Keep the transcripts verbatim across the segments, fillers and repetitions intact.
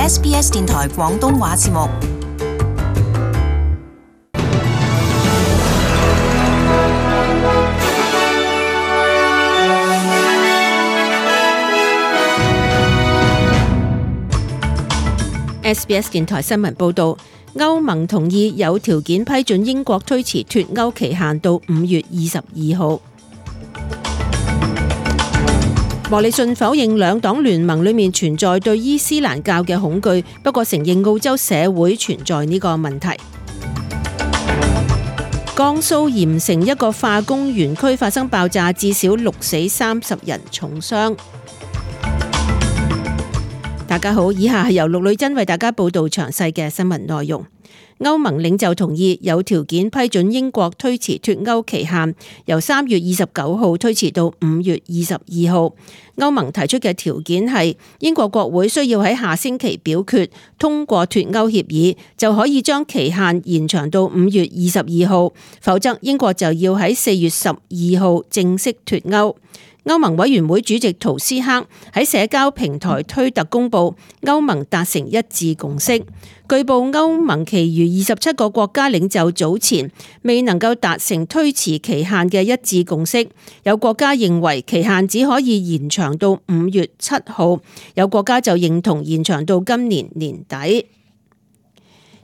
S B S 電台廣東話節目。S B S 電台新聞報道，歐盟同意有條件批准英國推遲脫歐期限到五月二十二號。莫里遜否認兩黨聯盟裏面存在對伊斯蘭教嘅恐懼，不過承認澳洲社會存在呢個問題。江蘇鹽城一個化工園區發生爆炸，至少六死三十人重傷。大家好，以下係由陸女真為大家報道詳細嘅新聞內容。歐盟領袖同意有條件批准英國推遲脫歐期限，由三月二十九號推遲到五月二十二號。歐盟提出嘅條件係英國國會需要喺下星期表決通過脫歐協議，就可以將期限延長到五月二十二號，否則英國就要喺四月十二號正式脫歐。歐盟委員會主席圖斯克喺社交平台推特公佈，歐盟達成一致共識。據報歐盟其餘二十七個國家領袖早前未能夠達成推遲期限嘅一致共識，有國家認為期限只可以延長到五月七號，有國家就認同延長到今年年底。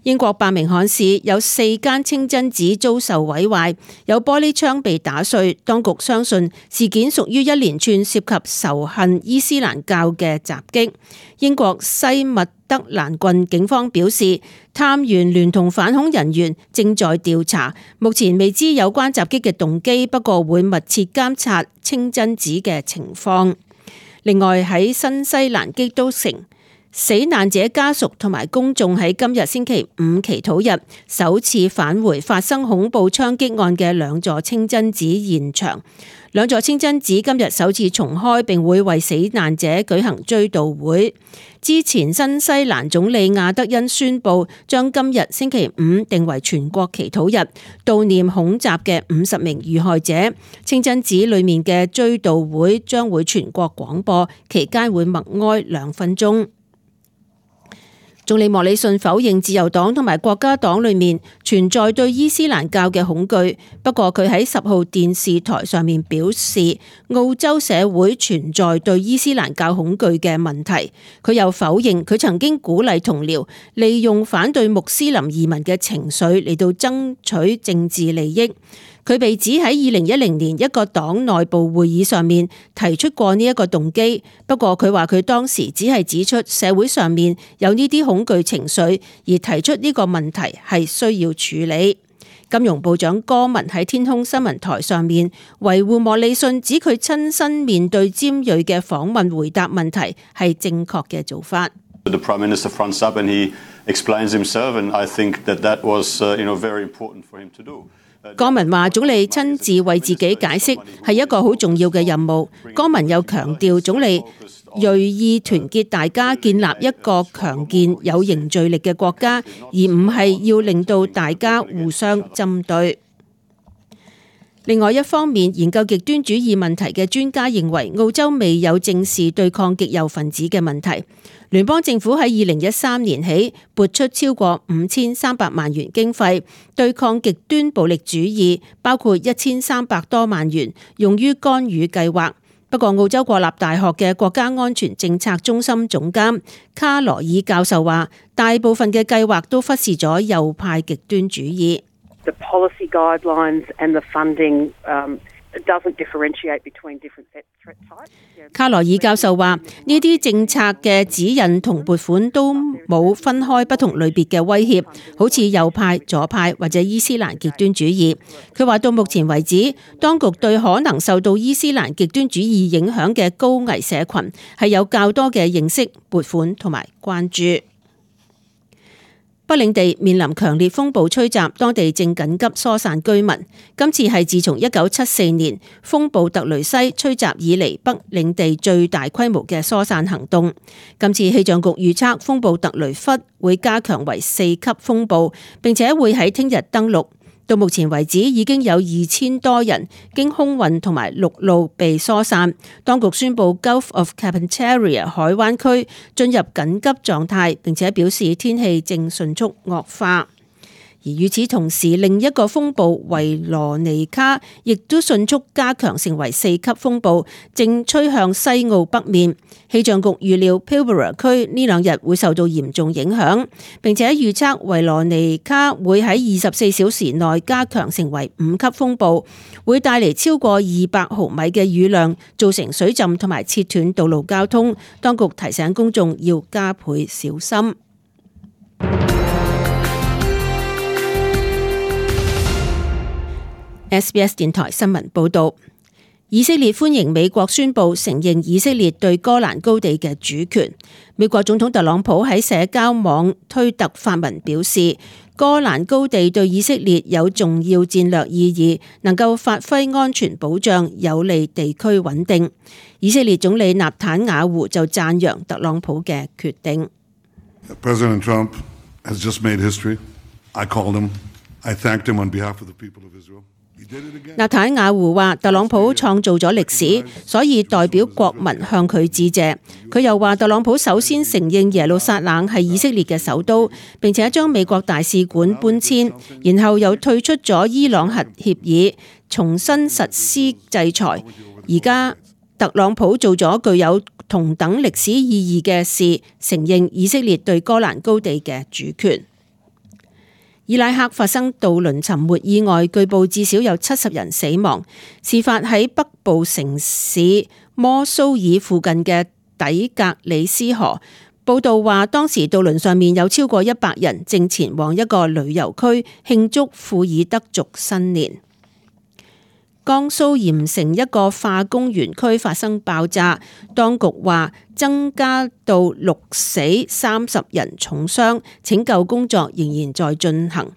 英國伯明翰市有四間清真寺遭受毀壞，有玻璃窗被打碎。當局相信事件屬於一連串涉及仇恨伊斯蘭教嘅襲擊。英國西密德蘭郡警方表示，探員聯同反恐人員正在調查，目前未知有關襲擊嘅動機，不過會密切監察清真寺嘅情況。另外喺新西蘭基督城，死難者家屬同埋公眾喺今日星期五祈禱日首次返回發生恐怖槍擊案嘅兩座清真寺現場。兩座清真寺今日首次重開，並會為死難者舉行追悼會。之前新西蘭總理亞德恩宣布將今日星期五定為全國祈禱日，悼念恐襲嘅五十名遇害者。清真寺裏面嘅追悼會將會全國廣播，期間會默哀兩分鐘。總理莫里遜否認自由黨同埋國家黨裏面存在對伊斯蘭教嘅恐懼，不過佢喺十號電視台上面表示，澳洲社會存在對伊斯蘭教恐懼嘅問題。佢又否認佢曾經鼓勵同僚利用反對穆斯林移民嘅情緒嚟到爭取政治利益。佢被指喺二零一零年一個黨內部會議上面提出過呢一個動機，不過佢話佢當時只係指出社會上面有呢啲恐懼情緒，而提出呢個問題係需要處理。金融部長戈文喺天空新聞台上面維護莫里遜，指佢親身面對尖銳嘅訪問回答問題係正確嘅做法。The Prime Minister fronts up and he explains himself, and I think that that was, uh, you know, very important for him to do. 戈文話總理親自為自己解釋係一個好重要嘅任務。戈文又強調總理銳意團結大家，建立一個強健有凝聚力嘅國家，而唔係要令到大家互相針對。另外一方面，研究極端主義問題嘅專家認為澳洲未有正視對抗極右分子嘅問題。聯邦政府喺二零一三年起撥出超過五千三百萬元經費對抗極端暴力主義，包括一千三百多萬元用於干預計劃。不過澳洲國立大學嘅國家安全政策中心總監卡羅爾教授話，大部分嘅計劃都忽視咗右派極端主義。The policy guidelines and the funding, um, it doesn't differentiate between different threat types. 卡羅爾教授話，呢啲政策嘅指引同撥款都冇分開不同類別嘅威脅，好似右派、左派或者伊斯蘭極端主義。佢話到目前為止，當局對可能受到伊斯蘭極端主義影響嘅高危社群係有較多嘅認識、撥款同埋關注。北領地面臨強烈風暴吹襲，當地正緊急疏散居民。今次係自從一九七四年風暴特雷西吹襲以嚟北領地最大規模嘅疏散行動。今次氣象局預測風暴特雷弗會加強為四級風暴，並且會喺聽日登陸。到目前為止，已經有二千多人經空運同埋陸路被疏散。當局宣布 Gulf of Carpentaria 海灣區進入緊急狀態，並且表示天氣正迅速惡化。而與此同時，另一個風暴維羅妮卡亦都迅速加強成為四級風暴，正吹向西澳北面。氣象局預料 Pilbara 區呢兩日會受到嚴重影響，並且預測維羅妮卡會喺二十四小時內加強成為五級風暴，會帶嚟超過二百毫米嘅雨量，造成水浸同埋切斷道路交通。當局提醒公眾要加倍小心。S B S 電台新聞報道，以色列歡迎美國宣布承認以色列對戈蘭高地嘅主權。美國總統特朗普喺社交網推特發文表示，戈蘭高地對以色列有重要戰略意義，能夠發揮安全保障，有利地區穩定。以色列總理納坦雅胡就讚揚特朗普嘅決定。President Trump has just made history. I called him. I thanked him on behalf of the people of Israel.納坦雅胡話：特朗普創造咗歷史，所以代表國民向佢致謝。佢又話：特朗普首先承認耶路撒冷係以色列嘅首都，並且將美國大使館搬遷，然後又退出咗伊朗核協議，重新實施制裁。而家特朗普做咗具有同等歷史意義嘅事，承認以色列對戈蘭高地嘅主權。伊拉克發生渡輪沉沒意外，據報至少有七十人死亡。事發喺北部城市摩蘇爾附近嘅底格里斯河。報道話，當時渡輪上面有超過一百人，正前往一個旅遊區慶祝庫爾德族新年。江蘇鹽城一個化工園區發生爆炸，當局話增加到六死三十人重傷，拯救工作仍然在進行。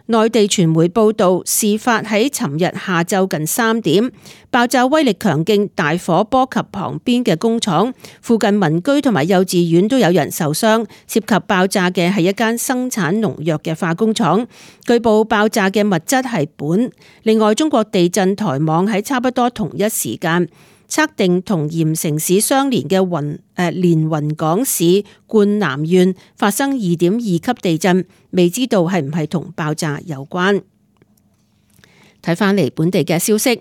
內地傳媒報道，事發喺尋日下晝近三點，爆炸威力強勁，大火波及旁邊嘅工廠，附近民居同埋幼稚園都有人受傷。涉及爆炸嘅係一間生產農藥嘅化工廠，據報爆炸嘅物質係苯。另外，中國地震台網喺差不多同一時間測定同鹽城市相連嘅雲誒連雲港市灌南縣發生二點二級地震，未知道係唔係同爆炸有關。睇返嚟本地嘅消息，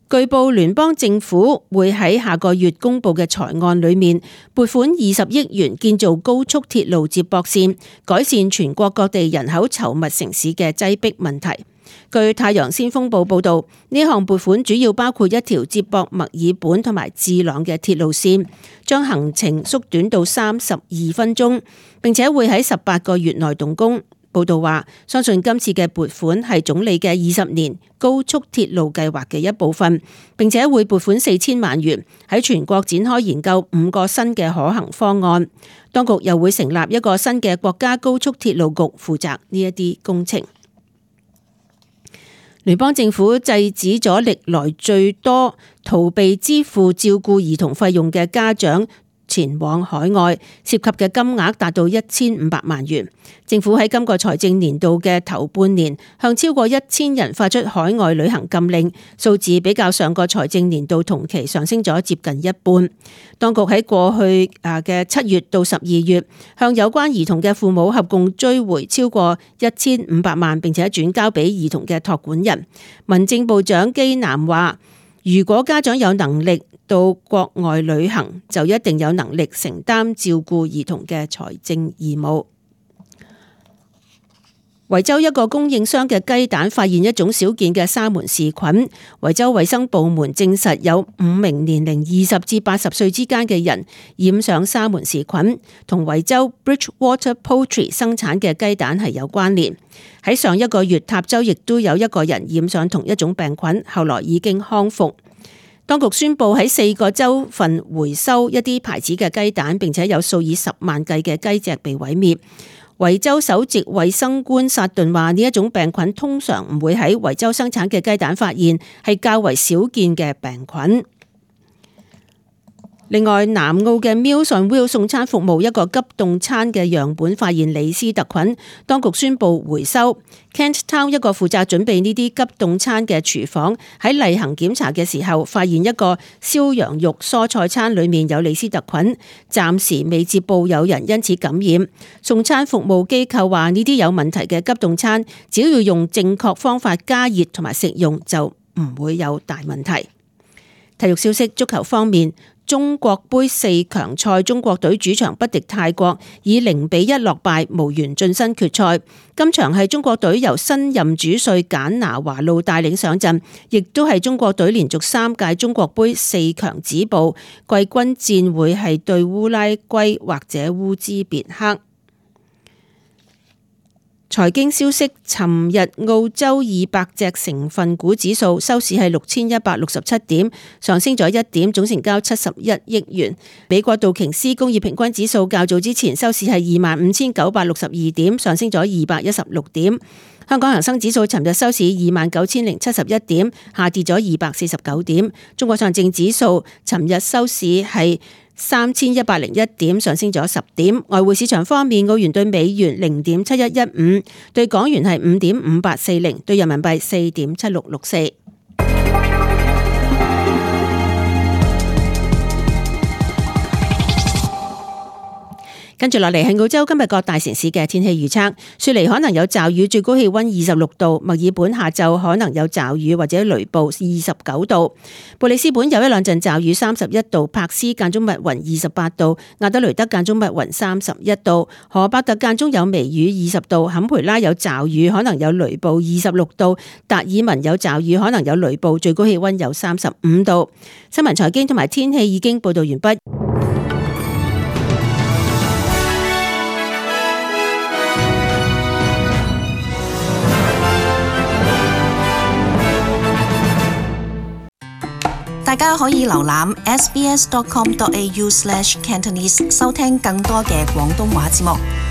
據報聯邦政府會喺下個月公布嘅財案裏面撥款二十億元建造高速鐵路接駁線，改善全國各地人口稠密城市嘅擠迫問題。據太陽先鋒報報道，呢項撥款主要包括一條接駁墨爾本同埋智朗嘅鐵路線，將行程縮短到三十二分鐘，並且會喺十八個月內動工。報道話，相信今次嘅撥款係總理嘅二十年高速鐵路計劃嘅一部分，並且會撥款四千萬元喺全國展開研究五個新嘅可行方案。當局又會成立一個新嘅國家高速鐵路局，負責呢一啲工程。聯邦政府制止咗歷來最多逃避支付照顧兒童費用嘅家長前往海外，涉及嘅金額達到一千五百萬元。政府喺今個財政年度嘅頭半年向超過一千人發出海外旅行禁令，數字比較上個財政年度同期上升咗接近一半。當局喺過去啊嘅七月到十二月，向有關兒童嘅父母合共追回超過一千五百萬，並且轉交俾兒童嘅託管人。民政部長基南話，如果家長有能力到國外旅行，就一定有能力承擔照顧兒童嘅財政義務。維州一個供應商嘅雞蛋發現一種少見嘅沙門氏菌，維州衛生部門證實有五名年齡二十至八十歲之間嘅人染上沙門氏菌，同維州 Bridgewater Poultry 生產嘅雞蛋係有關聯。喺上一個月，塔州亦都有一個人染上同一種病菌，後來已經康復。當局宣布喺四個州份回收一啲牌子嘅雞蛋，並且有數以十萬計嘅雞隻被毀滅。維州首席衛生官薩頓話：呢一種病菌通常唔會喺維州生產嘅雞蛋發現，係較為少見嘅病菌。另外，南澳嘅 Meals on Wheels 送餐服務一個急凍餐嘅樣本發現李斯特菌，當局宣布回收。Kent Town 一個負責準備呢啲急凍餐嘅廚房喺例行檢查嘅時候，發現一個燒羊肉蔬菜餐裡面有李斯特菌，暫時未接報有人因此感染。送餐服務機構話呢啲有問題嘅急凍餐，只要用正確方法加熱同埋食用就唔會有大問題。體育消息，足球方面，中國杯四強賽，中國隊主場不敵泰國，以零比一落敗，無緣晉身決賽。今場係中國隊由新任主帥簡拿華路帶領上陣，亦都係中國隊連續三屆中國杯四強止步，季軍戰會係對烏拉圭或者烏茲別克。財經消息，尋日澳洲二百隻成分股指數收市係六千一百六十七點，上升咗一點，總成交七十一億元。美國道瓊斯工業平均指數較早之前收市係二萬五千九百六十二點，上升咗二百一十六點。香港恒生指數尋日收市二萬九千零七十一點，下跌咗二百四十九點。中國上證指數尋日收市係三千一百零一點，上升咗十點。外匯市場方面，澳元對美元零點七一一五，對港元係五點五八四零，對人民幣四點七六六四。跟住落嚟係澳洲今日各大城市嘅天氣預測。雪梨可能有驟雨，最高氣溫二十六度；墨爾本下晝可能有驟雨或者雷暴，二十九度；布里斯本有一兩陣驟雨，三十一度；柏斯間中密雲，二十八度；亞德雷德間中密雲，三十一度；荷伯特間中有微雨，二十度；坎培拉有驟雨，可能有雷暴，二十六度；達爾文有驟雨，可能有雷暴，最高氣溫有三十五度。新聞財經同埋天氣已經報道完畢。大家可以瀏覽 s b s dot com dot a u slash cantonese 收聽更多嘅廣東話節目。